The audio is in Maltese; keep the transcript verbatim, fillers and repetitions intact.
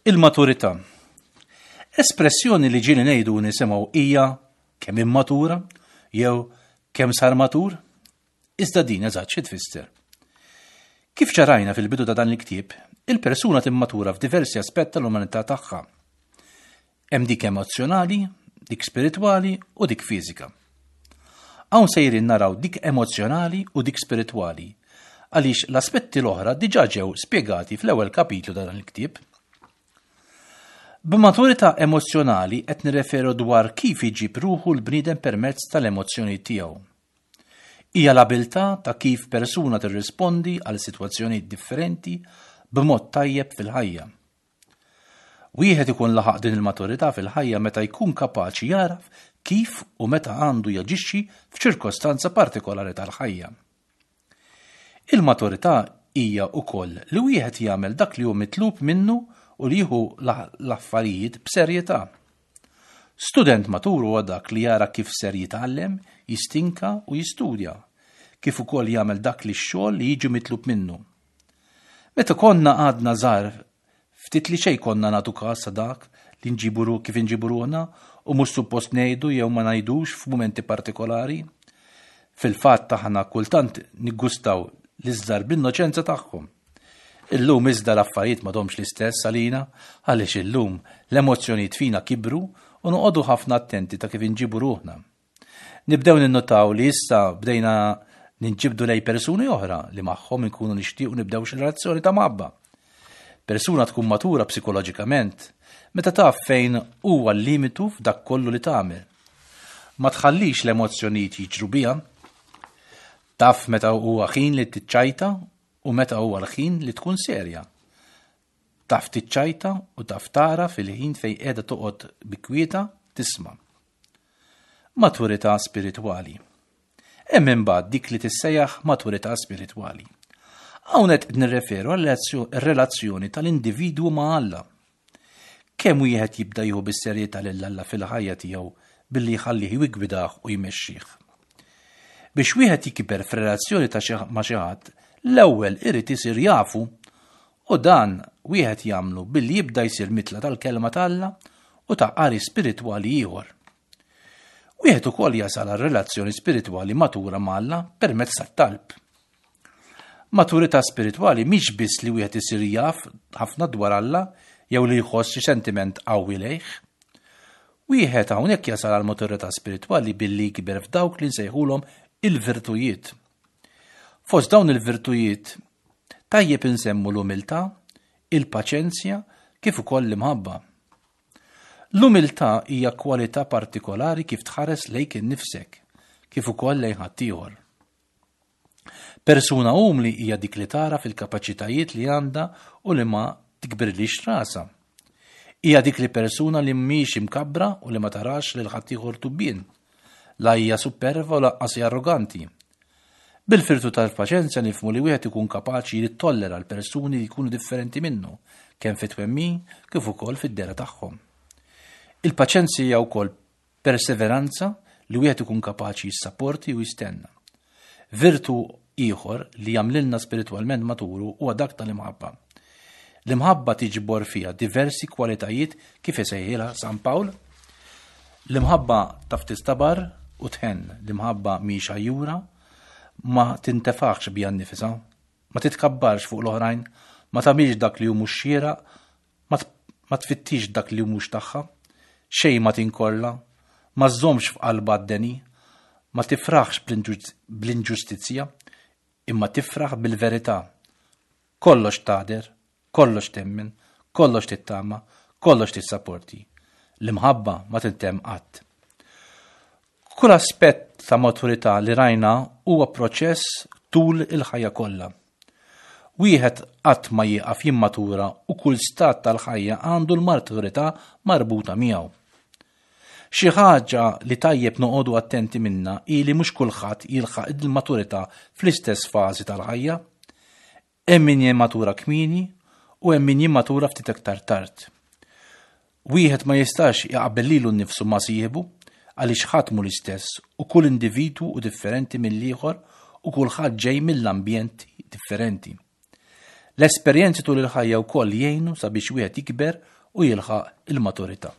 Il-maturità. Espressjoni li ġieli ngħidu nisimgħu hija kemm immatura jew kemm sar matur, iżda din eżatt xi tfisser. Kif ċarajna fil-bidu ta' dan il-ktieb, il-persuna timmatura f'diversi aspetti tal-umanità tagħha. Hemm dik emozzjonali, dik spiritwali u dik fiżika. Hawn sejrin naraw dik emozzjonali u dik spiritwali, għaliex l-aspetti l-oħra diġà ġew spjegati fl-ewwel kapitlu ta' dan il-ktieb. B'maturità emozzjonali qed nirreferu dwar kif iġib ruħu l-bniedem permezz tal-emozzjoni tiegħu. Hija l-abilità ta' kif persuna tirrispondi għal sitwazzjonijiet differenti b'mod tajjeb fil-ħajja. Wieħed ikun laħaq din il-maturità fil-ħajja meta jkun kapaċi jaraf kif u meta għandu jaġixxi f'ċirkostanza partikolari tal-ħajja. Il-maturità hija wkoll li wieħed jagħmel dak li hu mitlub minnu u li jieħu l-affarijiet b'serjetà. Student matur huwa dak li jara kif ser jitgħallem, jistinka u jistudja, kif ukoll jagħmel dak li x-xogħol li jiġi mitlub minnu. Meta konna għadna żgħar, ftit li xejn konna nagħtu każ dak li nġibu kif inġibu ruħna u mhux suppost ngħidu jew ma ngħidux f'mumenti partikolari. Fil-fatt aħna kultant niggustaw l-iżżar bl-innoċenza tagħhom. Illum iżda l-affarijiet m'għadhomx l-istess għalina, għaliex illum l-emozzjonijiet fina kibru u noqogħdu ħafna attenti ta' kif inġibu ruħna. Nibdew ninnotaw li issa bdejna ninġibdu lej persuni oħra li magħhom inkunu nixtiequ nibdew xi relazzjoni ta' mħabba. Persuna tkun matura psikoloġikament meta taf fejn huwa l-limitu f'dak kollu li tagħmel. Ma tħallix l-emozzjonijiet jiġru biha. Taf meta huwa ħin li tiċċajta u meta huwa l-ħin li tkun serja. Taf tiċċajta u taf tara fil-ħin fejn qiegħda toqgħod bikwieta tisma'. Maturità spiritwali. Hemm imbagħad dik li tissejjaħ maturità spiritwali. Hawn qed nirreferu għal relazzjoni tal-individwu ma' Alla. Kemm wieħed jibda jieħu bis-serjetà lil Alla fil-ħajja tiegħu billi jħallih jiggwidah u jmexxih. Biex wieħed jikber f'relazzjoni ta' ma' xi ħadd, l-ewwel irid isir jafu u dan wieħed jagħmlu billi jibda jsir mitla tal-kelma t'Alla u ta' qari spiritwali ieħor. Wieħed ukoll jasal għal relazzjoni spiritwali matura ma' Alla permezz tat-talb. Maturità spiritwali mhix biss li wieħed isir jaf ħafna dwar Alla jew li jħoss xi sentiment qawwi lejh. Wieħed hawnhekk jasal għal maturità spiritwali billi jikber f'dawk li nsejħulhom il-virtujiet. Fost dawn il-virtujiet tajjeb insemmu l-umiltà, il-paċenzja kif ukoll l-imħabba. L-umiltà hija kwalità partikolari kif tħares lejk innifsek, kif ukoll lejn ħaddieħor. Persuna umli hija dik li tara fil-kapaċitajiet li għandha u li ma tikbirlix rasha. Hija dik li persuna li mhix imkabbra u li ma tarax lil ħaddieħor tubbien. La hija superva u lanqas arroganti. Bil-virtù tal-paċenzja nifhmu li wieħed ikun kapaċi li tollera l-persuni li jkunu differenti minnu, kemm fit-twemmin kif ukoll fid-dehra tagħhom. Il-paċenzja hija wkoll perseveranza li wieħed ikun kapaċi jissapporti u jistenna. Virtu ieħor li jagħmlilna spiritwalment maturu huwa dak tal-imħabba. L-imħabba tiġbor fiha diversi kwalitajiet kif isejħilha San Pawl. L-imħabba taf tistabar u tħenn, l-imħabba mhix għajjura, ma tintefaħx biha nnifisha, ma titkabbarx fuq l-oħrajn, ma tagħmilx dak li hu mhux xieraq, ma tfittix dak li hu mhux tagħha, xejn ma tinkorla, ma żżommx f'qalbha d-deni, ma tifraħx bl-inġustizzja, imma tifraħ bil-verità. Kollox tagħder, kollox temmen, kollox tittama, kollox tissapporti. L-imħabba ma tintemm qatt. Kull aspett ta' maturità li rajna huwa proċess tul il-ħajja kollha. Wieħed qatt ma jieqaf jimmatura u kull stat tal-ħajja għandu l-maturità marbuta miegħu. Xi ħaġa li tajjeb noqogħdu attenti minna hi li mhux kulħadd jilħaq il-maturità fl-istess fażi tal-ħajja. Hemm min jimmatura kmieni u hemm min jimmatura ftit aktar tard. Wieħed ma jistax jaqbel lilu nnifsu ma' sieħbu għaliex ħadd mhu l-istess u kull individwu hu differenti mill-ieħor u kulħadd ġej mill-ambjent differenti. L-esperjenzi tul il-ħajja wkoll jgħinu sabiex wieħed jikber u jilħaq il-maturità.